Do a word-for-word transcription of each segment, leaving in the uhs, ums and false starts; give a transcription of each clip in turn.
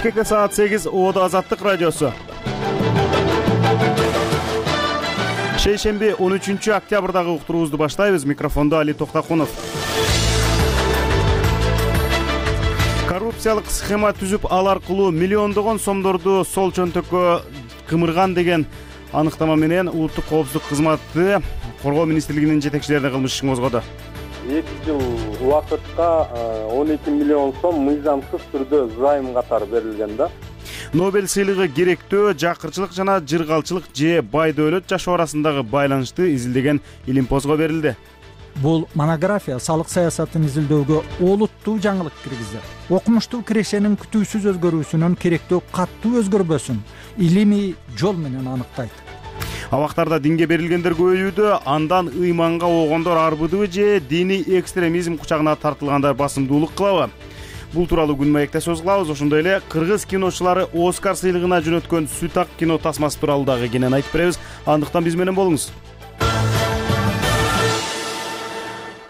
Бишкекте саат сегиз, Оодо Азаттык радиосу. Шейшемби он үчүнчү октябрдагы уктуруубузду баштайбыз. Микрофондо Али Токтакунов. Коррупциялык схема түзүп, ал аркылуу миллиондогон сомдорду сол чөнтөккө кымырган деген аныктама менен улуттук коопсуздук кызматы коргоо министрлигинин жетекчилерине кылмыш ишин козгоду. эки жыл убакытка он эки миллион сом мыйзамсыз түрдө займ катары берилген да. Нобель сыйлыгы керектөө, жакырчылык жана жыргалчылык же бай дөөлөт жашоо арасындагы байланышты изилдеген илимпозго берилди. Бул монография салык саясатын изилдөөгө олуттуу жаңылык киргизди. Окумуштуу кирешенин күтүүсүз өзгөрүүсүнөн керектөө каттуу өзгөрбөсүн илимий жол менен аныктайт. Абактарда динге берилгендер көбөйүүдө, андан ыйманга оогондор арбыдыбы же диний экстремизм кучагына тартылгандар басымдуулук кылабы? Бул тууралуу күн маекте сөз кылабыз. Ошондой эле кыргыз киночулары Оскар сыйлыгына жөнөткөн Сүт ак кино тасмасы тууралуу дагы кенен айтып беребиз. Андыктан биз менен болуңуз.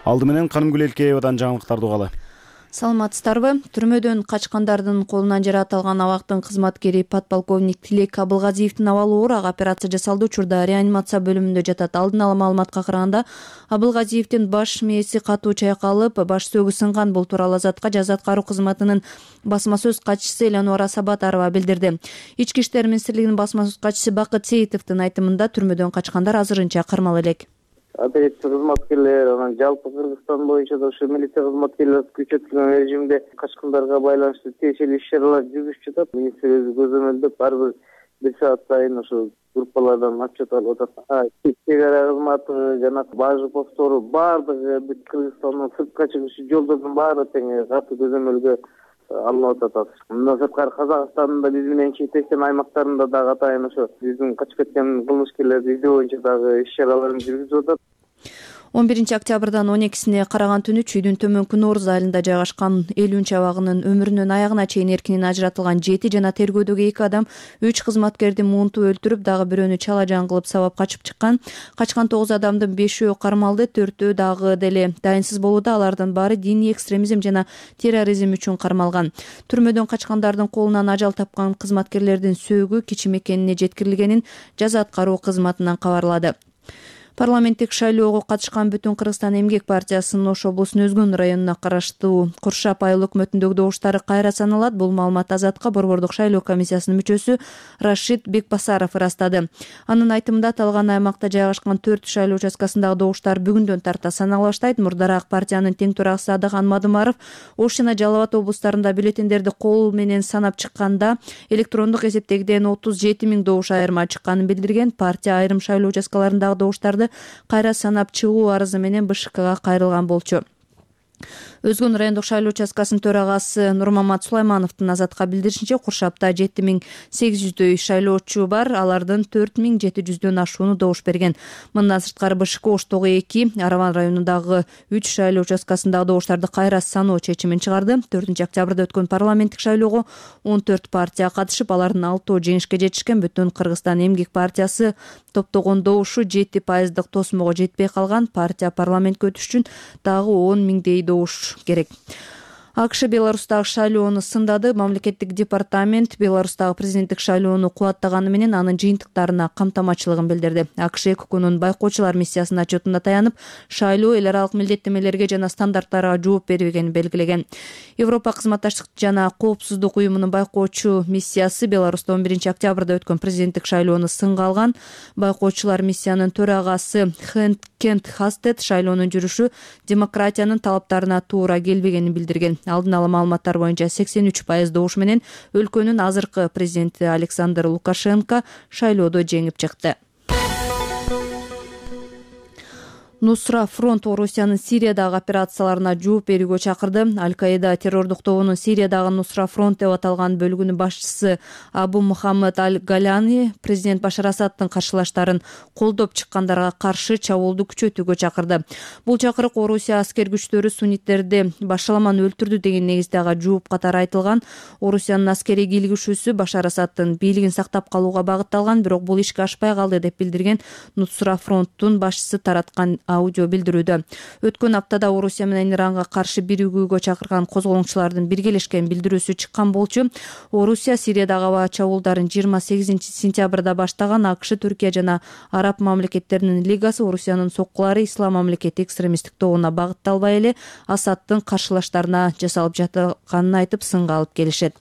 Алды менен Канымгүл Элкеевадан жаңылыктарды угалы. Саламатсыздарбы? Түрмөдөн качкандардын колунан жаратылган абактын кызматкери подполковник Тилек Абылгазиевдин абалы оор. Ага операция жасалды. Учурда реанимация бөлүмүндө жатат. Алдын ала маалыматка караганда Абылгазиевдин баш мээси катуу чайкалып, баш сөөгү сынган. Бул тууралуу Азатка жаза аткаруу кызматынын басма сөз катчысы Элануара Сабатарова билдирди. Ички иштер министрлигинин басма сөз катчысы Бакыт Сейитовдун айтымында түрмөдөн качкандар азырынча кармала элек. Операция кызматкерлери, анан жалпы Кыргызстан боюнча да ушу милиция кызматкерлери күчөтүлгөн режимде качкандарга байланыштуу тиешелүү иш-чаралар жүргүзүп жатат. Министр өзү көзөмөлдөп ар бир бир саат сайын ошо группалардан отчет алып атат. Чек ара кызматы жана бажы повтору баардыгы бүт Кыргызстандан сыртка чыгышы жолдордун баары тең катуу көзөмөлгө алынып атат. Мындан сырткары Казакстандын да биз менен чектешкен аймактарында дагы атайын ошо биздин качып кеткен кылмышкерлерди издөө боюнча дагы иш-чараларын жүргүзүп атат. он биринчи октябрдан он экисине караган түнү Чүйдүн төмөнкү Нооруз айылында жайгашкан элүүнчү абагынын өмүрүнүн аягына чейин эркинен ажыратылган жети жана тергөөдөгү эки адам үч кызматкерди муунтуп өлтүрүп, дагы бирөөнү чала жан кылып сабап качып чыккан. Качкан тогуз адамдын бешөө кармалды, төртөө дагы деле дайынсыз болууда. Алардын баары диний экстремизм жана терроризм үчүн кармалган. Түрмөдөн качкандардын колунан ажал тапкан кызматкерлердин сөөгү кичим экенине жеткирилгенин жаза аткаруу кызматынан кабарлады. Парламенттик шайлоого катышкан Бүтүн Кыргызстан эмгек партиясынын Ош облусунун Өзгөн районуна караштуу Куршап айыл өкмөтүндөгү добуштары кайра саналат. Бул маалымат Азатка борбордук шайлоо комиссиясынын мүчөсү Рашид Бекбасаров ырастады. Анын айтымында аталган аймакта жайгашкан төрт шайлоо участкасындагы добуштар бүгүндөн тарта санала баштайт. Мурдараак партиянын тең төрагасы Адахан Мадымаров Ош жана Жалал Абад облустарында бюллетендерди кол менен санап чыкканда электрондук эсептегиден отуз жети миң добуш айырма чыкканын билдирген. Партия айрым шайлоо участкаларындагы добуштарды кайра санап чыгуу арызы менен Бэ Ш Кга кайрылган болчу. Өзгөн райондук шайлоо участкасынын төрагасы Нурмамат Сулаймановдун Азатка билдиришинче, Куршапта жети миң сегиз жүздөй шайлоочу бар. Алардын төрт миң жети жүздөн ашууну добуш берген. Мындан сырткары Бэ Ш К Оштогу эки, Араван районундагы үч шайлоо участкасындагы добуштарды кайра саноо чечимин чыгарды. төртүнчү октябрда өткөн парламенттик шайлоого он төрт партия катышып, алардын алтоо жеңишке жетишкен. Бүтүн Кыргызстан эмгек партиясы топтогон добушу жети пайыздык тосмого жетпей калган. Партия парламентке өтүш үчүн дагы он миңдей добуш керек. А К Ш Беларустагы шайлоону сындады. Мамлекеттик департамент Беларустагы президенттик шайлоону кубаттаганы менен анын жыйынтыктарына камтамачылыгын билдирди. А К Ш укукунун байкоочулар миссиясынын отчетунда таянып, шайлоо эл аралык милдеттемелерге жана стандарттарга жооп бербегенин белгилеген. Европа кызматташтык жана коопсуздук уюмунун байкоочу миссиясы Беларуста он биринчи октябрда өткөн президенттик шайлоону сынга алган. Байкоочулар миссиянын төрагасы Кент Хастед шайлоонун жүрүшү демократиянын талаптарына туура келбегенин билдирген. Алдын ала маалыматтар боюнча сексен үч пайыз добуш менен өлкөнүн азыркы президенти Александр Лукашенко шайлоодо жеңип чыкты. Нусра фронт Орусиянын Сириядагы операцияларына жооп берүүгө чакырды. Аль-Каида террордук тобунун Сириядагы Нусра фронт деп аталган бөлүгүнүн башчысы Абу Мухаммад Аль-Галяни президент Башар Асадтын каршылаштарын колдоп чыккандарга каршы чабуулду күчөтүүгө чакырды. Бул чакырык Орусия аскер күчтөрү сунниттерди башаламан өлтүрдү деген негизде ага жооп катары айтылган. Орусиянын аскерий кийлигишүүсү Башар Асадтын бийлигин сактап калууга багытталган, бирок бул ишке ашпай калды деп билдирген Нусра фронттун башчысы тараткан аудио билдирүүдө. Өткөн аптада Орусия менен Иранга каршы биригүүгө чакырган козголоңчулардын биргелешкен билдирүүсү чыккан болчу. Орусия Сириядагы аба чабуулдарын жыйырма сегизинчи сентябрда баштаган АКШ, Түркия жана Араб мамлекеттеринин лигасы Орусиянын соккулары ислам мамлекети экстремисттик тобуна багытталбай эле Асадтын каршылаштарына жасалып жатканын айтып сынга алып келишет.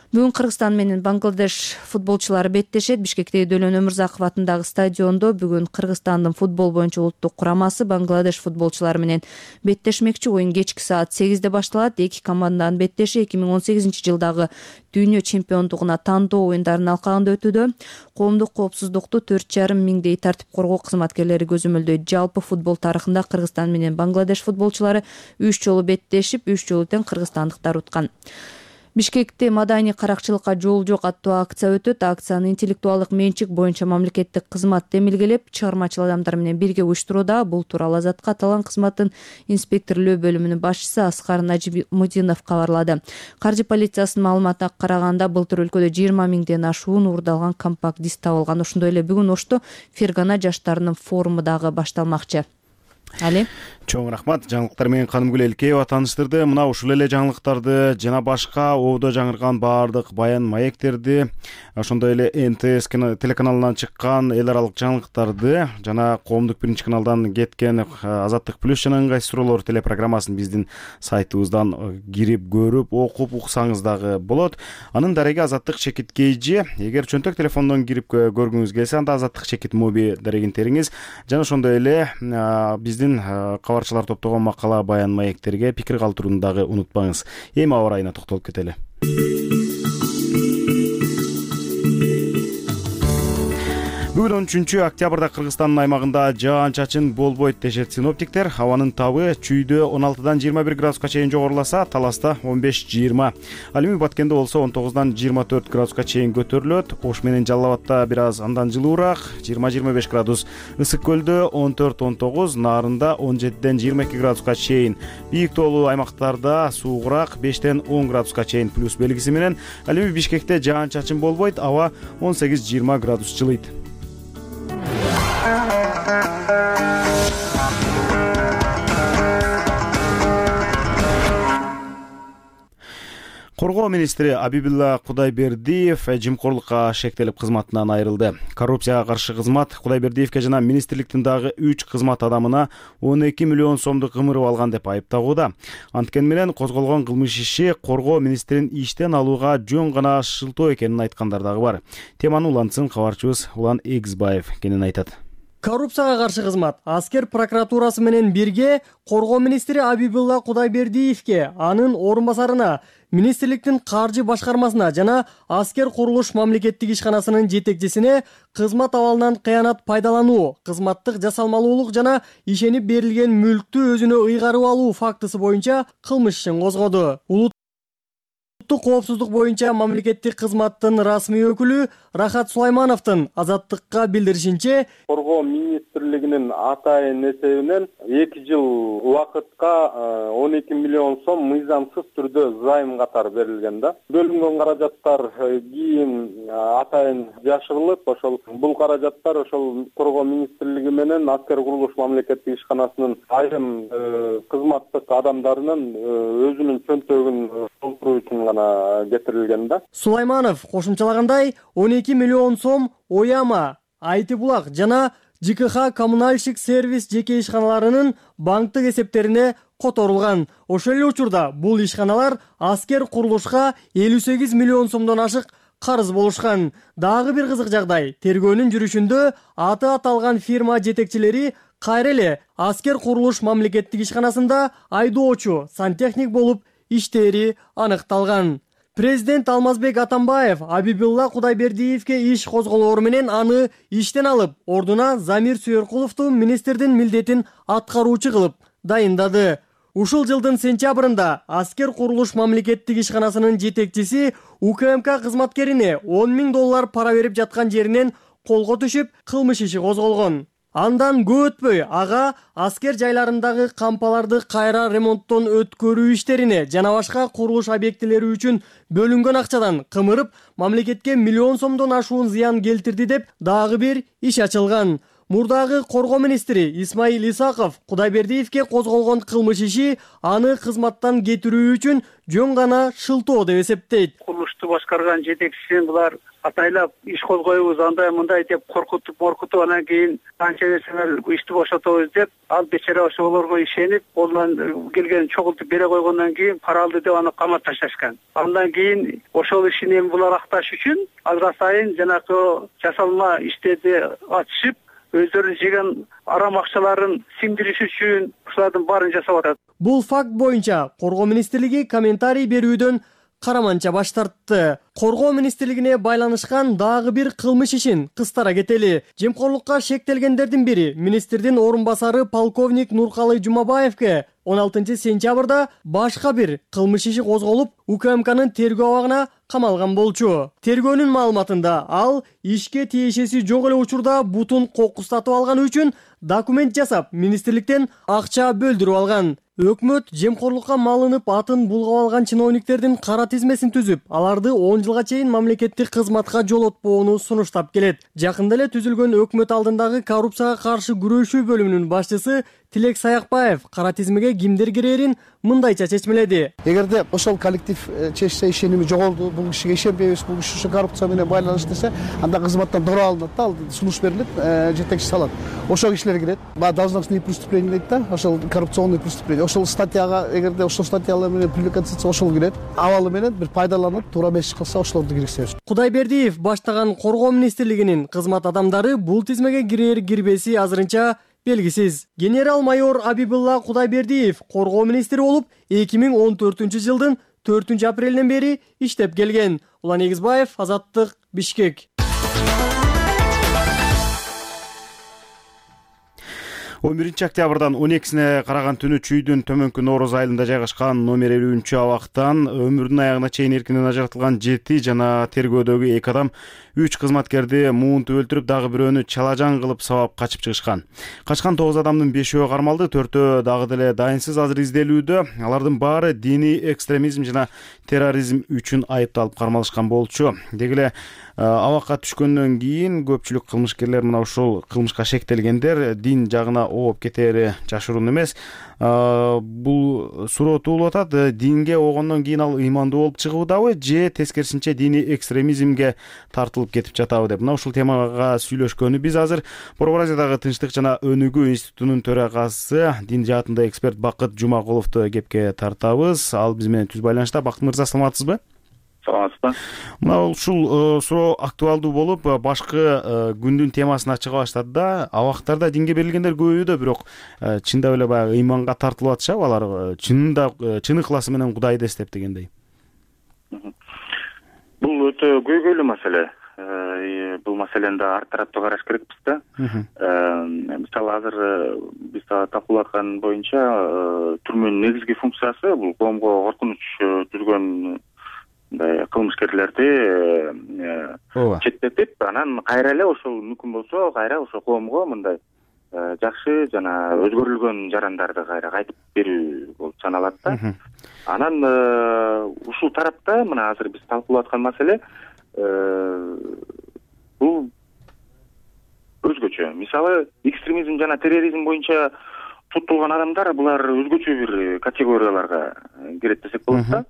Бүгүн Кыргызстан менен Бангладеш футболчулары беттешет. Бишкектеги Дөлөн Өмүрзаков атындагы стадиондо бүгүн Кыргызстандын футбол боюнча улуттук курамасы Бангладеш футболчулары менен беттешмекчи. Оюн кечки саат сегизде башталат. Эки команданын беттеши эки миң он сегизинчи жылдагы дүйнө чемпиондугуна тандоо оюндарынын алкагында өтүүдө. Коомдук коопсуздукту төрт жарым миңдей тартип коргоо кызматкерлери көзөмөлдөйт. Жалпы футбол тарыхында Кыргызстан менен Бангладеш футболчулары үч жолу беттешип, үч жолу тең кыргызстандыктар уткан. Бишкекте маданий каракчылыкка жол жок аттуу акция өтөт. Акцияны интеллектуалдык менчик боюнча мамлекеттик кызмат демилгелеп, чыгармачыл адамдар менен бирге уюштурууда. Бул тууралуу Азатка аталган кызматтын инспекторлоо бөлүмүнүн башчысы Аскар Нажимудинов кабарлады. Каржы полициясынын маалыматына караганда, былтыр өлкөдө жыйырма миңден ашуун уурдалган компакт диск табылган. Ошондой эле бүгүн Ошто Фергана жаштарынын форуму дагы башталмакчы. Али Чоң рахмат. Жаңылыктар менен Канымгүл Элкеева тааныштырды. Мына ушул эле жаңылыктарды жана башка ободо жаңырган баардык баян маектерди, ошондой эле эн тэ эс телеканалынан чыккан эл аралык жаңылыктарды жана коомдук биринчи каналдан кеткен Азаттык плюс жана ыңгай суроолор телепрограммасын биздин сайтыбыздан кирип көрүп, окуп уксаңыз дагы болот. Анын дареги Азаттык чекит кейжи. Эгер чөнтөк телефондон кирип көргүңүз келсе, анда Азаттык чекит моби дарегин териңиз. Жана ошондой эле биздин кабарчылар топтогон макала баян маектерге пикир калтырууну дагы унутпаңыз. Эми аба ырайына токтолуп кетели. Бүгүн он үчүнчү октябрда Кыргызстандын аймагында жаан-чачын болбойт дешет синоптиктер. Абанын табы чүйдө он алтыдан жыйырма бир градуска чейин жогоруласа, Таласта он беш жыйырма. Ал эми Баткенде болсо он тогуздан жыйырма төрт градуска чейин көтөрүлөт. Ош менен Жалал Абадта бир аз андан жылуураак, жыйырма жыйырма беш градус. Ысык көлдө он төрт он тогуз, Нарында он жетиден жыйырма эки градуска чейин. Бийик тоолуу аймактарда суугураак, бештен он градуска чейин плюс белгиси менен. Ал эми Бишкекте жаан-чачын болбойт, аба он сегиз жыйырма градус жылыйт. Коргоо министри Абибилла Кудайбердиев жымкорлукка шектелип кызматынан айрылды. Коррупцияга каршы кызмат Кудайбердиевке жана министрликтин дагы үч кызмат адамына он эки миллион сомду кымырып алган деп айыптагууда. Анткени менен козголгон кылмыш иши коргоо министрин иштен алууга жөн гана шылтоо экенин айткандар дагы бар. Теманы улантсын кабарчыбыз Улан Эгизбаев кенен айтат. Коррупцияга каршы кызмат аскер прокуратурасы менен бирге коргоо министри Абибилла Кудайбердиевке, анын орун басарына, министрликтин каржы башкармасына жана аскер курулуш мамлекеттик ишканасынын жетекчисине кызмат абалынан кыянат пайдалануу, кызматтык жасалмалуулук жана ишенип берилген мүлктү өзүнө ыйгарып алуу фактысы боюнча кылмыш ишин козгоду. Улуттук коопсуздук боюнча мамлекеттик кызматтын расмий өкүлү Рахат Сулаймановдун Азаттыкка билдиришинче, коргоо министрлигинин атайын эсебинен эки жыл убакытка он эки миллион сом мыйзамсыз түрдө займ катары берилген да. Бөлүнгөн каражаттар кийин атайын жашырылып, ошол бул каражаттар ошол коргоо министрлиги менен аскер курулуш мамлекеттик ишканасынын айрым кызматтык адамдарынын өзүнүн чөнтөгүн толтуруу үчүн гана кетирилген да. Сулайманов кошумчалагандай, он эки миллион сом Ояма, Айтыбулак жана Ж К Х коммунальщик сервис жеке ишканаларынын банктык эсептерине которулган. Ошол эле учурда бул ишканалар аскер курулушка элүү сегиз миллион сомдон ашык карыз болушкан. Дагы бир кызык жагдай, тергөөнүн жүрүшүндө аты аталган фирма жетекчилери кайра эле аскер курулуш мамлекеттик ишканасында айдоочу, сантехник болуп иштери аныкталган. Президент Алмазбек Атамбаев Абибилла Кудайбердиевке иш козголоору менен аны иштен алып, ордуна Замир Сүйөркуловду министрдин милдетин аткаруучу кылып дайындады. Ушул жылдын сентябрында аскер курулуш мамлекеттик ишканасынын жетекчиси У К М К кызматкерине он миң доллар пара берип жаткан жеринен колго түшүп, кылмыш иши козголгон. Андан көп өтпөй ага аскер жайларындагы кампаларды кайра ремонттон өткөрүү иштерине жана башка курулуш объектилери үчүн бөлүнгөн акчадан кымырып, мамлекетке миллион сомдон ашуун зыян келтирди деп дагы бир иш ачылган. мурдагы коргоо министри Исмаил Исаков Кудайбердиевке козголгон кылмыш иши аны кызматтан кетирүү үчүн жөн гана шылтоо деп эсептейт. Курулушту башкарган жетекчисин булар атайлап иш козгойбуз, андай мындай деп коркутуп моркутуп, анан кийин канча нерсеңер ишти бошотобуз деп, ал бечара ошолорго ишенип, колунан келгенин чогултуп бере койгондон кийин пара алды деп аны камап ташташкан. Андан кийин ошол ишин эми булар акташ үчүн алга сайын жанакы жасалма иштерди ачышып, өздөрүнүн жеген арам акчаларын сиңдириш үчүн ушулардын баарын жасап атат. Бул факт боюнча коргоо министрлиги комментарий берүүдөн караманча баш тартты. Коргоо министрлигине байланышкан дагы бир кылмыш ишин кыстара кетели. Жемкорлукка шектелгендердин бири министрдин орун басары полковник Нуркалы Жумабаевке он алтынчы сентябрда башка бир кылмыш иши козголуп, УКМКнын тергөө абагына камалган болчу. Тергөөнүн маалыматында ал ишке тиешеси жок эле учурда бутун кокустатып алганы үчүн документ жасап, министрликтен акча бөлдүрүп алган. Өкмөт жемкорлукка малынып атын булгап алган чиновниктердин кара тизмесин түзүп, аларды он жылга чейин мамлекеттик кызматка жолотпоону сунуштап келет. Жакында эле түзүлгөн өкмөт алдындагы коррупцияга каршы күрөшүү бөлүмүнүн башчысы Тилек Саякбаев кара тизмеге кимдер кирерин мындайча чечмеледи. Эгерде ошол коллектив чечсе, ишеними жоголду, бул кишиге ишенбейбиз, бул киши ушу коррупция менен байланыштуу десе, анда кызматтан дoro алынат да, ал сунуш берилет, жетекчи салат. Ошол кишилер кирет. Баа должностные преступления дейт да, ошол коррупционный преступление. Ошол статьяга, эгерде ошол статьялар менен привлекаться этсе, ошол кирет. Абалы менен бир пайдаланып, туура эмес иш кылса, ошолорду киргизебиз. Кудайбердиев баштаган коргоо министрлигинин кызмат адамдары бул тизмеге кирер кирбеси азырынча белгисиз. Генерал-майор Абибулла Кудайбердиев коргоо министри болуп эки миң он төртүнчү жылдын төртүнчү апрелинен бери иштеп келген. Улан Эгизбаев, Азаттык, Бишкек. он биринчи октябрдан он экисине караган түнү Чүйдүн төмөнкү Нооруз айылында жайгашкан номер элүүнчү абактан өмүрүнүн аягына чейин эркинен ажыратылган жети жана тергөөдөгү эки адам үч кызматкерди муунтуп өлтүрүп, дагы бирөөнү чалажан кылып сабап качып чыгышкан. Качкан тогуз адамдын бешөө кармалды, төртөө дагы деле дайынсыз азыр изделүүдө. Алардын баары диний экстремизм жана терроризм үчүн айыпталып кармалышкан болчу. Деги эле абакка түшкөндөн кийин көпчүлүк кылмышкерлер мына ушул кылмышка шектелгендер дин жагына ооп кетери жашыруун эмес. Бул суроо туулуп атат. Динге огондон кийин ал ыймандуу болуп чыгуудабы же тескерисинче диний экстремизмге тартылып кетип жатабы деп. Мына ушул темага сүйлөшкөнү биз азыр Борбор Азиядагы Тынчтык жана өнүгүү институтунун төрагасы, дин жаатында эксперт Бакыт Жумакуловду кепке тартабыз. Ал биз менен түз байланышта. Бакыт мырза, саламатсызбы? Саламатсызбы. Мына ушул суроо актуалдуу болуп, башкы күндүн темасына чыга баштады да. Абактарда динге берилгендер көбөйүүдө, бирок чындап эле баягы ыйманга тартылып атышабы? Алар чынында чын ыхласы менен Кудайды эстеп дегендей. Бул өтө көйгөйлүү маселе. Бул маселени да ар тараптуу караш керекпиз да. Мисалы азыр биз талкуулап аткан боюнча түрмөнүн негизги функциясы бул коомго коркунуч түзгөн мындай кылмышкерлерди четтетип, анан кайра эле ошол мүмкүн болсо кайра ошо коомго мындай жакшы жана өзгөрүлгөн жарандарды кайра кайтып берүү болуп саналат да. Анан ушул тарапта мына азыр биз талкуулап аткан маселе бул өзгөчө. Мисалы экстремизм жана терроризм боюнча туттулган адамдар булар өзгөчө бир категорияларга кирет десек болот да.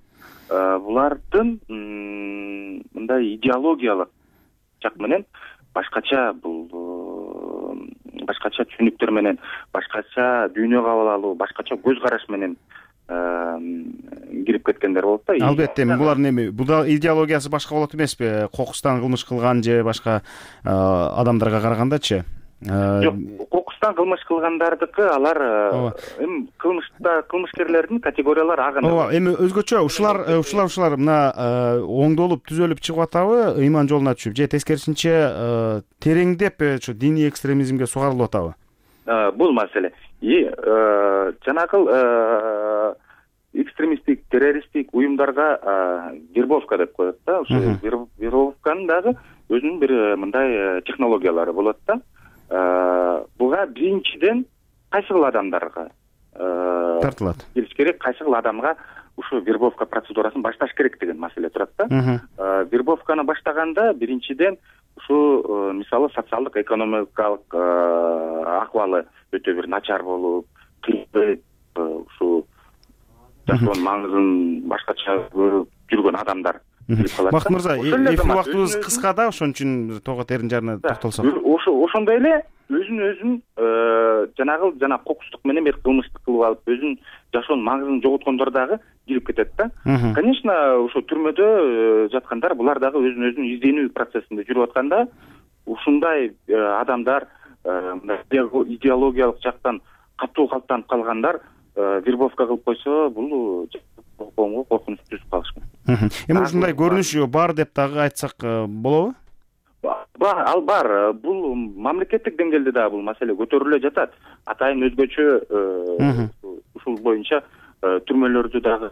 Булардын мындай идеологиялык жак менен башкача бул башкача түшүнүктөр менен, башкача дүйнө кабыл алуу, башкача көз караш менен кирип кеткендер болот да. Албетте, булардын эми бул идеологиясы башка болот эмеспи? Кокустан кылмыш кылган же башка адамдарга карагандачы? Жок, кокустан кылмыш кылгандардыкы алар эми кылмышта кылмышкерлердин категориялары аганы. Ооба, эми өзгөчө ушулар ушулар ушулар мына оңдолуп түзөлүп чыгып атабы, ыйман жолуна түшүп, же тескерисинче тереңдеп ушу диний экстремизмге сугарылып атабы? Бул маселе. И жанагыл экстремисттик, террористтик уюмдарга вербовка деп коет да. Ошо вербовканын дагы өзүнүн бир мындай технологиялары болот да. Буга биринчиден кайсыл адамдарга тартылат келиш керек, кайсыл адамга ушу вербовка процедурасын башташ керек деген маселе турат да. Вербовканы баштаганда биринчиден ушу мисалы социалдык экономикалык акыбалы өтө бир начар болуп, кыйбат ушу жашоонун маңызын башкача көрүп жүргөн адамдар. Бакыт мырза, эфир убактыбыз кыска да, ошон үчүн тога терин жарына токтолсок. Ошо ошондой эле өзүн өзүн жанагы жана кокустук менен бир кылмыштык кылып алып, өзүнүн жашоонун маңызын жоготкондор дагы кирип кетет да. Конечно, ошо түрмөдө жаткандар булар дагы өзүн өзүн изденүү процессинде жүрүп атканда, ушундай адамдар, идеологиялык жактан катуу калыптанып калгандар вербовка кылып койсо, бул коомго коркунуч түзүп калышмак. Эми ушундай көрүнүш бар деп дагы айтсак болобу? Бар, ал бар. Бул мамлекеттик деңгээлде дагы бул маселе көтөрүлө жатат. Атайын өзгөчө ушул боюнча түрмөлөрдү дагы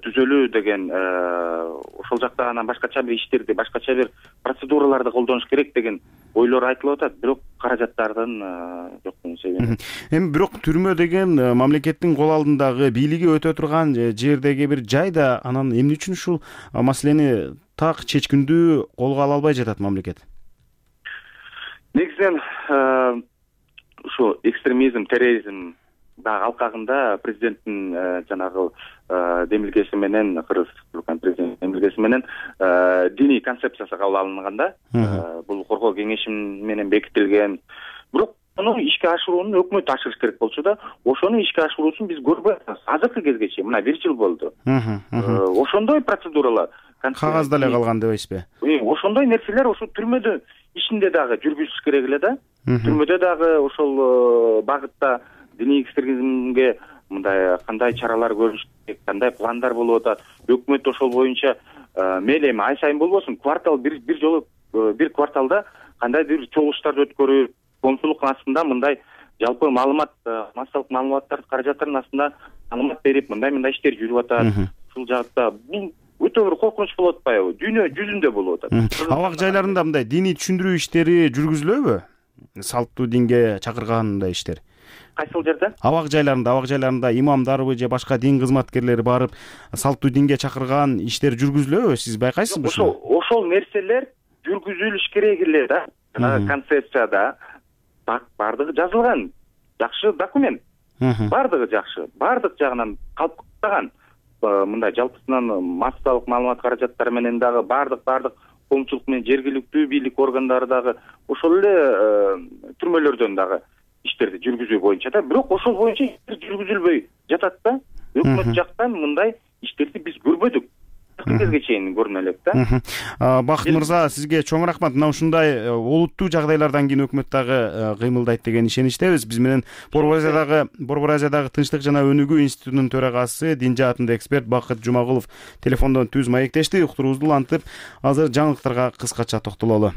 түзөлүү деген, ошол жакта анан башкача бир иштерди, башкача бир процедураларды колдонуш керек деген ойлор айтылып атат, бирок каражаттардын жоктугунун себеби. Эми бирок түрмө деген мамлекеттин кол алдындагы бийлиги өтө турган жердеги бир жай да, анан эмне үчүн ушул маселени так чечкиндүү колго ала албай жатат мамлекет? Негизинен ушу экстремизм, терроризм дагы алкагында президенттин жанагы демилгеси менен, Кыргыз Республиканын президенттин демилгеси менен диний концепциясы кабыл алынганда, бул коргоо кеңеши менен бекитилген. Бирок аны ишке ашыруунун өкмөт ашырыш керек болчу да, ошону ишке ашыруусун биз көрбөй атабыз. Азыркы кезге чейин, мына бир жыл болду. Ошондой процедуралар кагазда эле калган дебейсизби? Ошондой нерселер ошо түрмөдө ишинде дагы жүргүзүш керек эле да. Түрмөдө дагы ошол багытта диний экстремизмге мындай кандай чаралар көрүш керек, кандай пландар болуп атат. Өкмөт ошол боюнча мейли эми ай сайын болбосун, квартал бир бир жолу бир кварталда кандай бир чогулуштарды өткөрүп, коомчулуктун астында мындай жалпы маалымат, массалык маалыматтар каражаттарынын астында маалымат берип, мындай-мындай иштер жүрүп атат. Ушул жакта бул өтө бир коркунуч болуп атпайбы? Дүйнө жүзүндө болуп атат. Абак жайларында мындай диний түшүндүрүү иштери жүргүзүлөбү? Салттуу динге чакыргандай иштер. Кайсыл жерде? Абак жайларында, абак жайларында имамдарбы же башка дин кызматкерлери барып, салттуу динге чакырган иштер жүргүзүлөбү? Сиз байкайсызбы? Ошол ошол нерселер жүргүзүлүш керек эле да. Концепцияда бардыгы жазылган. Жакшы документ. Бардыгы жакшы. Бардык жагынан калыптаган. Мындай жалпысынан массалык маалымат каражаттары менен дагы бардык бардык коомчулук менен жергиликтүү бийлик органдары дагы ошол эле түрмөлөрдөн дагы иштерди жүргүзүү боюнча да, бирок ошол боюнча жүргүзүлбөй жатат да. Өкмөт жактан мындай иштерди биз көрбөдүк. Кезге чейин көрүнө элек да. Бакыт мырза, сизге чоң рахмат. Мына ушундай олуттуу жагдайлардан кийин өкмөт дагы кыймылдайт деген ишеничтебиз. Биз менен Борбор Азиядагы Борбор Азиядагы Тынчтык жана өнүгүү институтунун төрагасы, дин жаатында эксперт Бакыт Жумагулов телефондон түз маектешти. Уктуруубузду улантып, азыр жаңылыктарга кыскача токтололу.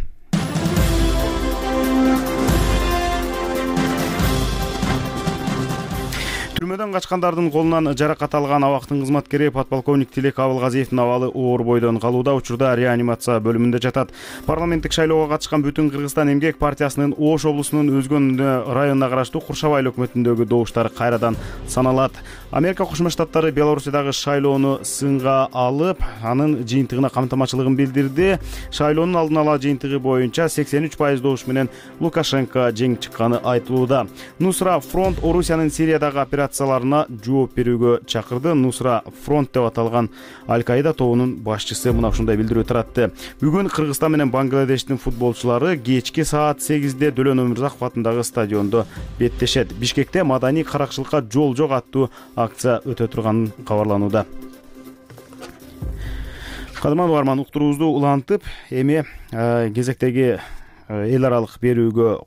Түрмөдөн качкандардын колунан жаракат алган абактын кызматкери подполковник Тилек Абылгазиевдин абалы оор бойдон калууда. Учурда реанимация бөлүмүндө жатат. Парламенттик шайлоого катышкан Бүтүн Кыргызстан эмгек партиясынын Ош облусунун Өзгөн районуна караштуу Куршабай айыл өкмөтүндөгү добуштар кайрадан саналат. Америка Кошмо Штаттары Белоруссиядагы шайлоону сынга алып, анын жыйынтыгына камтамачылыгын билдирди. Шайлоонун алдын ала жыйынтыгы боюнча сексен үч пайыз добуш менен Лукашенко жеңип чыкканы айтылууда. Нусра фронт Орусиянын Сириядагы операцияларына жооп берүүгө чакырды. Нусра фронт деп аталган Аль-Каида тобунун башчысы мына ушундай билдирүү таратты. Бүгүн Кыргызстан менен Бангладештин футболчулары кечки саат сегизде Дөлөн Өмүрзаков атындагы стадиондо беттешет. Бишкекте маданий каракчылыкка жол жок аттуу акция өтө турганын кабарланууда. Кадырман угарман, уктуруубузду улантып, эми кезектеги эл аралык берүүгө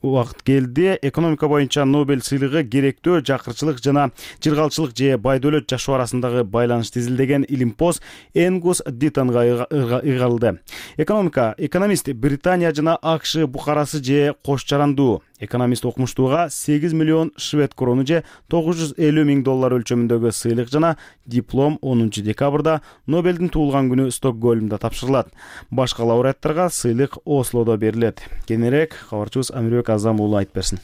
убакыт келди. Экономика боюнча Нобель сыйлыгы керектөө жакырчылык жана жыргалчылык же байдөлөт жашоо арасындагы байланышты изилдеген илимпоз Энгус Дитонго ыйгарылды. Экономика экономист Британия жана АКШ букарасы же кош жарандуу. Экономист окумуштууга сегиз миллион швед крону же тогуз жүз элүү миң доллар өлчөмүндөгү сыйлык жана диплом онунчу декабрда Нобелдин туулган күнү Стокгольмдо тапшырылат. Башка лауреаттарга сыйлык Ослодо берилет. Кененирээк кабарчыбыз Амирбек Азам уулу айтып берсин.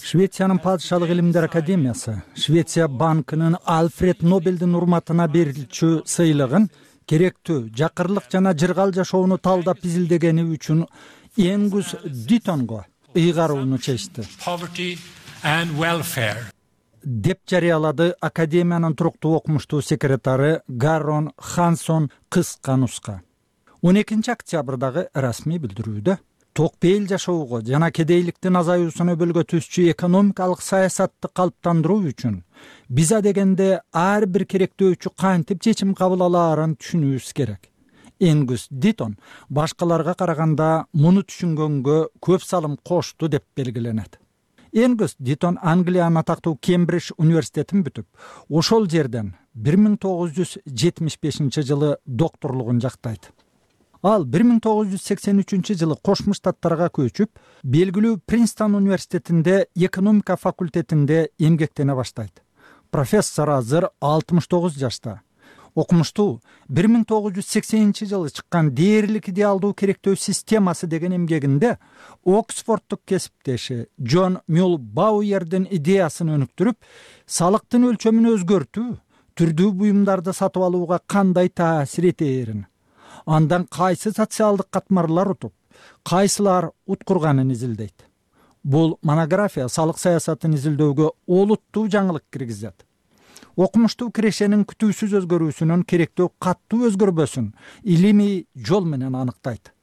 Швециянын падышалык илимдер академиясы Швеция банкынын Альфред Нобелдин урматына берилчү сыйлыгын керектүү жакырлык жана жыргал жашоону талдап изилдегени үчүн Энгус Дитонго ыйгарууну чечти деп жарыялады Академиянын туруктуу окумуштуу секретары Гаррон Хансон кыска нуска. он экинчи октябрдагы расмий билдирүүдө ток бейил жашоого жана кедейликтин азаюусуна өбөлгө түзчү экономикалык саясатты калыптандыруу үчүн биз адегенде ар бир керектөөчү кантип чечим кабыл алаарын түшүнүүбүз керек. Энгус Дитон башкаларга караганда муну түшүнгөнгө көп салым кошту деп белгиленет. Энгус Дитон Англиянын атактуу Кембридж университетин бүтүп, ошол жерден бир миң тогуз жүз жетимиш бешинчи жылы докторлугун жактайт. Ал бир миң тогуз жүз сексен үчүнчү жылы Кошмо Штаттарга көчүп, белгилүү Принстон университетинде экономика факультетинде эмгектене баштайт. Профессор азыр алтымыш тогуз жашта. Окумуштуу бир миң тогуз жүз сексенинчи жылы чыккан дээрлик идеалдуу керектөө системасы деген эмгегинде Оксфордтук кесиптеши Джон Мюл Бауердин идеясын өнүктүрүп, салыктын өлчөмүн өзгөртүү түрдүү буюмдарды сатып алууга кандай таасир этээрин, андан кайсы социалдык катмарлар утуп, кайсылар уткурганын изилдейт. Бул монография салык саясатын изилдөөгө олуттуу жаңылык киргизет. Окумуштуу кирешенин күтүүсүз өзгөрүүсүнүн керектөө каттуу өзгөрбөсүн илимий жол менен аныктайт.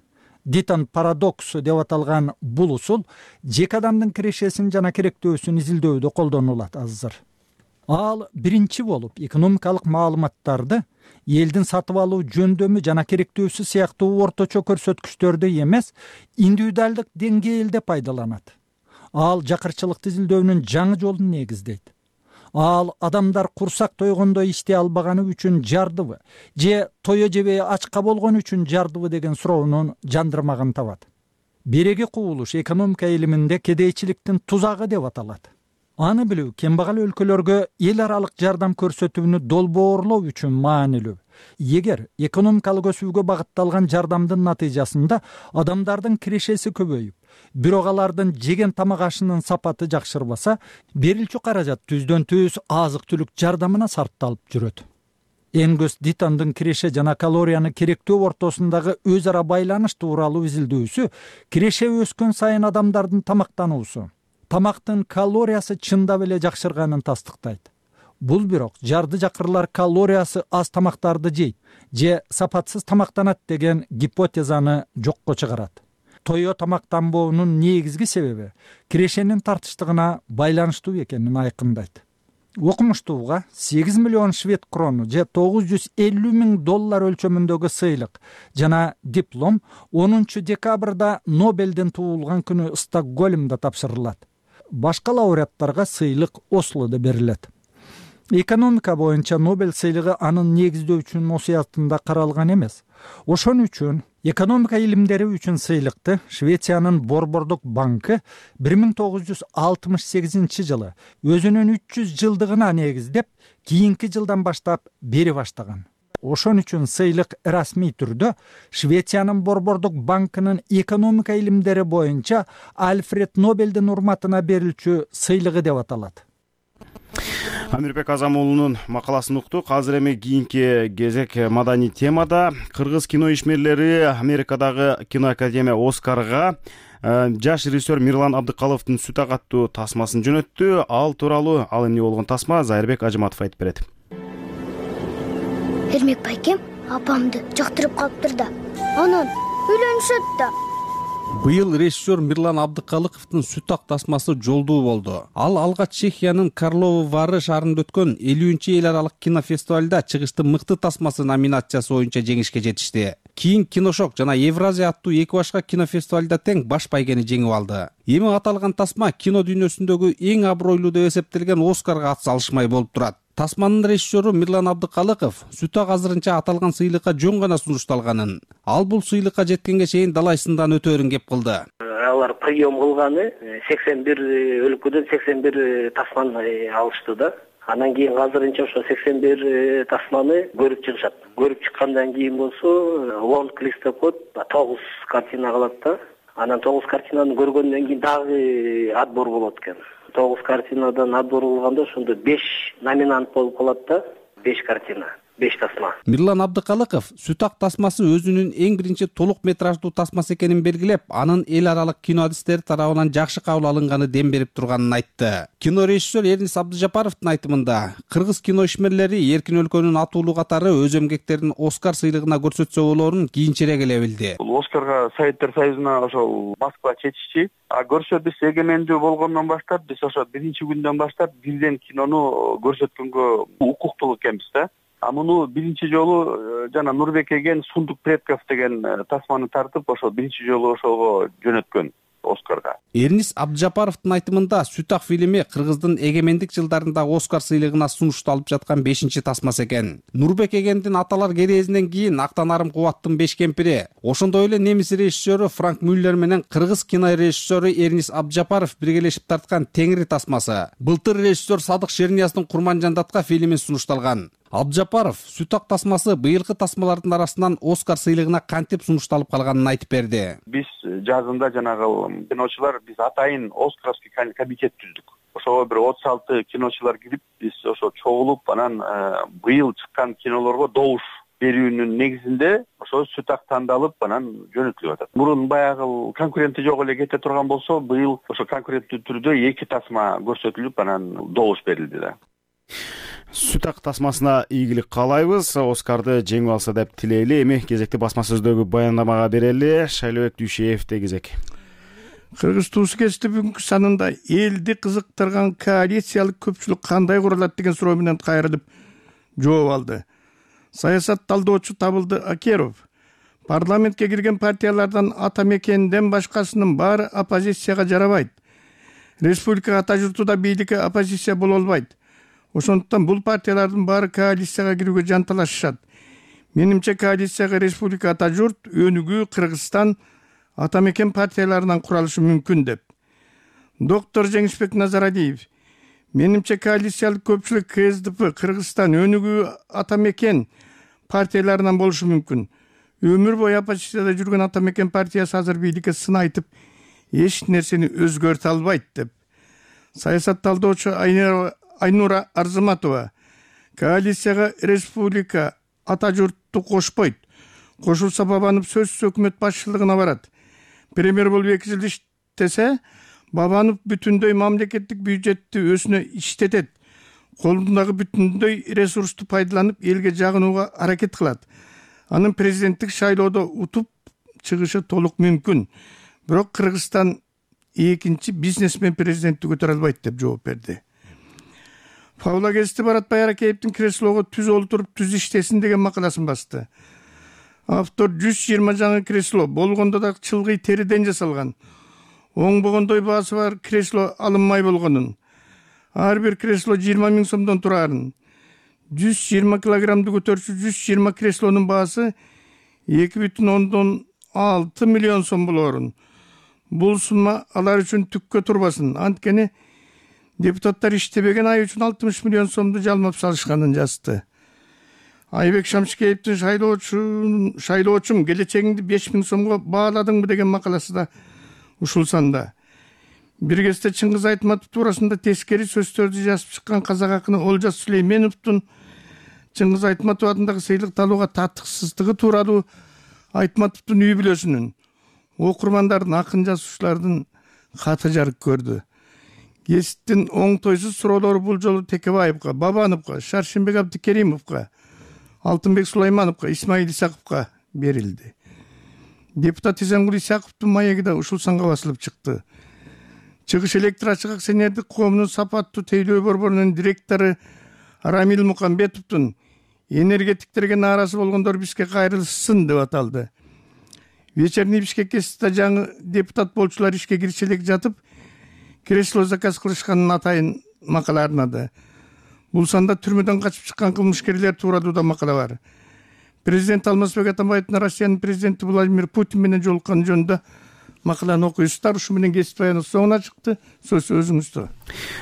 Дитон парадоксу деп аталган бул усул жеке адамдын кирешесин жана керектөөсүн изилдөөдө колдонулат азыр. Ал биринчи болуп экономикалык маалыматтарды элдин сатып алуу жөндөмү жана керектөөсү сыяктуу орточо көрсөткүчтөрдү эмес, индивидуалдык деңгээлде пайдаланат. Ал жакырчылыкты изилдөөнүн жаңы жолун негиздейт. Ал адамдар курсак тойгондо иштей албаганы үчүн жардыбы же тое жебей ачка болгон үчүн жардыбы деген суроонун жандырмагын табат. Береги кубулуш экономика илиминде кедейчиликтин тузагы деп аталат. Аны билүү кембагал өлкөлөргө эл аралык жардам көрсөтүүнү долбоорлоо үчүн маанилүү. Эгер экономикалык өсүүгө багытталган жардамдын натыйжасында адамдардын кирешеси көбөйүп, бирок алардын жеген тамак ашынын сапаты жакшырбаса, берилчү каражат түздөн түз азык түлүк жардамына сарпталып жүрөт. Энгус Дитондун киреше жана калорияны керектөө ортосундагы өз ара байланыш тууралуу изилдөөсү киреше өскөн сайын адамдардын тамактануусу, тамактын калориясы чындап эле жакшырганын тастыктайт. Бул бирок жарды жакырлар калориясы аз тамактарды жейт же сапатсыз тамактанат деген гипотезаны жокко чыгарат. Тое тамактанбоонун негизги себеби кирешенин тартыштыгына байланыштуу экенин айкындайт. Окумуштууга сегиз миллион швед крону же тогуз жүз элүү миң доллар өлчөмүндөгү сыйлык жана диплом онунчу декабрда Нобелдин туулган күнү Стокгольмдо тапшырылат. Башка лауреаттарга сыйлык Ослодо берилет. Экономика боюнча Нобель сыйлыгы анын негиздөөчүнүн осуятында каралган эмес. Ошон үчүн экономика илимдери үчүн сыйлыкты Швециянын Борбордук банкы бир миң тогуз жүз алтымыш сегизинчи жылы өзүнүн үч жүз жылдыгына негиздеп, кийинки жылдан баштап бери баштаган. Ошон үчүн сыйлык расмий түрдө Швециянын Борбордук банкынын экономика илимдери боюнча Альфред Нобелдин урматына берилчү сыйлыгы деп аталат. Амирбек Азамуулунун макаласын уктук. Азыр эми кийинки кезек маданий темада. Кыргыз кино ишмерлери Америкадагы киноакадемия Оскарга жаш режиссер Мирлан Абдыкаловдун Сүт ак аттуу тасмасын жөнөттү. Ал тууралуу ал эмне болгон тасма Зайырбек Ажыматов айтып берет. Эрмек байкем апамды жактырып калыптыр да, анан үйлөнүшөт да. Быйыл режиссер Мирлан Абдыкалыковдун Сүт ак тасмасы жолдуу болду. Ал алгач Чехиянын Карловы Вары шаарында өткөн элүүнчү эл аралык кинофестивалда чыгышты мыкты тасмасы номинациясы боюнча жеңишке жетишти. Кийин Киношок жана Евразия аттуу эки башка кинофестивалда тең баш байгени жеңип алды. Эми аталган тасма кино дүйнөсүндөгү эң абройлуу деп эсептелген Оскарга ат салышмай болуп турат. Тасманын режиссеру Мирлан Абдыкалыков Сүт ак азырынча аталган сыйлыкка жөн гана сунушталганын, ал бул сыйлыкка жеткенге чейин далай сындан өтөөрүн кеп кылды. Алар прием кылганы сексен бир өлкөдөн сексен бир тасманы алышты да. Анан кийин азырынча ошо сексен бир тасманы көрүп чыгышат. Көрүп чыккандан кийин болсо лонг листопод тогуз картина калат да. Анан тогуз картинаны көргөндөн кийин дагы отбор болот экен. Тогуз картинадан отбор кылганда ошондо беш номинант болуп калат да, беш картина. беш тасма. Мирлан Абдыкалыков сүт ак тасмасы өзүнүн эң биринчи толук метраждуу тасмасы экенин белгилеп, анын эл аралык кино адистери тарабынан жакшы кабыл алынганы дем берип турганын айтты. Кино режиссер Эрнис Абдыжапаровдун айтымында, кыргыз кино ишмерлери эркин өлкөнүн атуулуу катары өз эмгектерин Оскар сыйлыгына көрсөтсө болоорун кийинчерээк эле билди. Бул Оскарга Советтер Союзуна ошол Москва чечишчи. А көрсө биз эгемендүү болгондон баштап, биз ошо биринчи күндөн баштап бирден кинону көрсөткөнгө укуктуу экенбиз да. А муну биринчи жолу жана Нурбек эген Сундук предков деген тасманы тартып, ошо биринчи жолу ошого жөнөткөн Оскарга. Эрнис Абдыжапаровдун айтымында Сүт ак фильми кыргыздын эгемендик жылдарындагы Оскар сыйлыгына сунушталып жаткан бешинчи тасмасы экен. Нурбек эгендин Аталар керээзинен кийин Актанарым Кубаттын беш кемпири, ошондой эле немис режиссеру Франк Мюллер менен кыргыз кино режиссеру Эрнис Абдыжапаров биргелешип тарткан Теңири тасмасы. Былтыр режиссер Садык Шернияздын Курманжандатка фильмин сунушталган. Абдыжапаров Сүт ак тасмасы быйылкы тасмалардын арасынан Оскар сыйлыгына кантип сунушталып калганын айтып берди. Биз жазында жанагы киночулар биз атайын Оскаровский комитет түздүк. Ошого бир отуз алты киночулар кирип, биз ошо чогулуп, анан быйыл чыккан кинолорго добуш берүүнүн негизинде ошо Сүт ак тандалып, анан жөнөтүлүп атат. Мурун баягы конкуренти жок эле кете турган болсо, быйыл ошо конкуренттүү түрдө эки тасма көрсөтүлүп, анан добуш берилди да. Сүт ак тасмасына ийгилик каалайбыз. Оскарды жеңип алса деп тилейли. Эми кезекти басма сөздөгү баяндамага берели. Шайлообек Дүйшеевде кезек. Кыргыз туусу кечти бүгүнкү санында элди кызыктырган коалициялык көпчүлүк кандай курулат деген суроо менен кайрылып жооп алды. Саясат талдоочу Табылды Акеров парламентке кирген партиялардан ата мекенден башкасынын баары оппозицияга жарабайт. Республика ата журтуда бийликке оппозиция боло албайт. Ошондуктан бул партиялардын баары коалицияга кирүүгө жанталашышат. Менимче коалицияга республика ата журт, Өнүгүү, Кыргызстан, ата мекен партияларынан куралышы мүмкүн деп. Доктор Жеңишбек Назаралиев менимче коалициялык көпчүлүк КСДП, Кыргызстан, Өнүгүү, ата мекен партияларынан болушу мүмкүн. Өмүр бою оппозицияда жүргөн ата мекен партиясы азыр бийликке сын айтып, эч нерсени өзгөртө албайт деп. Саясат талдоочу Айнура Арзыматова коалицияга республика ата журтту кошпойт. Кошулса Бабанов сөзсүз өкмөт башчылыгына барат. Премьер болуп эки жыл иштесе, Бабанов бүтүндөй мамлекеттик бюджетти өзүнө иштетет. Колундагы бүтүндөй ресурсту пайдаланып, элге жагынууга аракет кылат. Анын президенттик шайлоодо утуп чыгышы толук мүмкүн. Бирок Кыргызстан экинчи бизнесмен президентти көтөрө албайт деп жооп берди. Павла Гести Баратбай Аракеевдин креслого түз олтуруп түз иштесин деген макаласын басты. Автор жүз жыйырма жаңы кресло болгондо да чылгый териден жасалган. Оңбогондой баасы бар кресло алынмай болгонун. Ар бир кресло жыйырма миң сомдон турарын. жүз жыйырма килограммды көтөрчү жүз жыйырма креслонун баасы эки бүтүн ондон алты миллион сом болоорун. Бул сумма алар үчүн түккө турбасын. Анткени депутаттар иштебеген ай үчүн алтымыш миллион сомду жалмап салышканын жазды. Айбек Шамшыкеевдин шайлоочум шайлоочум келечегиңди беш миң сомго бааладыңбы деген макаласы да ушул санда. Бир кезде Чыңгыз Айтматов туурасында тескери сөздөрдү жазып чыккан казак акыны Олжас Сүлейменовдун Чыңгыз Айтматов атындагы сыйлыкты алууга татыксыздыгы тууралуу Айтматовдун үй бүлөсүнүн, окурмандардын, акын жазуучулардын каты жарык көрдү. Гесттин оңтойсуз суроолору бул жолу Текебаевга, Бабановго, Шаршембек Абдыкеримовго, Алтынбек Сулаймановго, Исмаил Исаковго берилди. Депутат Изангул Исаковдун маеги да ушул санга басылып чыкты. Чыгыш электр ачык акционердик коомунун сапаттуу тейлөө борборунун директору Рамил Мукамбетовдун энергетиктерге нааразы болгондор бизге кайрылышсын деп аталды. Вечерний Бишкекке жаңы депутат болчулар ишке кириши элек жатып, кресло заказ кылышканын атайын макала арнады. Бул санда түрмөдөн качып чыккан кылмышкерлер тууралуу да макала бар. Президент Алмазбек Атамбаевдин Россиянын президенти Владимир Путин менен жолуккан жөнүндө макаланы окуйсуздар. Ушу менен кесип баяныбыз соңуна чыкты. Сөз өзүңүздө.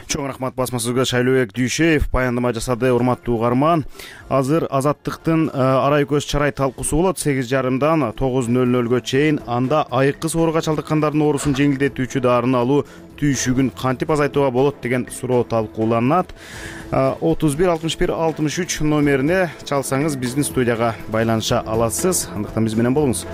Чоң рахмат басма сөзгө Шайлообек Дүйшеев баяндама жасады. Урматтуу угарман, азыр Азаттыктын арай көз чарай талкуусу болот сегиз жарымдан тогуз нөл нөлгө чейин. Анда айыккыс ооруга чалдыккандардын оорусун жеңилдетүүчү дарыны алуу түйшүгүн кантип азайтууга болот деген суроо талкууланат. отуз бир алтымыш бир алтымыш үч номерине чалсаңыз биздин студияга байланыша аласыз. Андыктан биз менен болуңуз.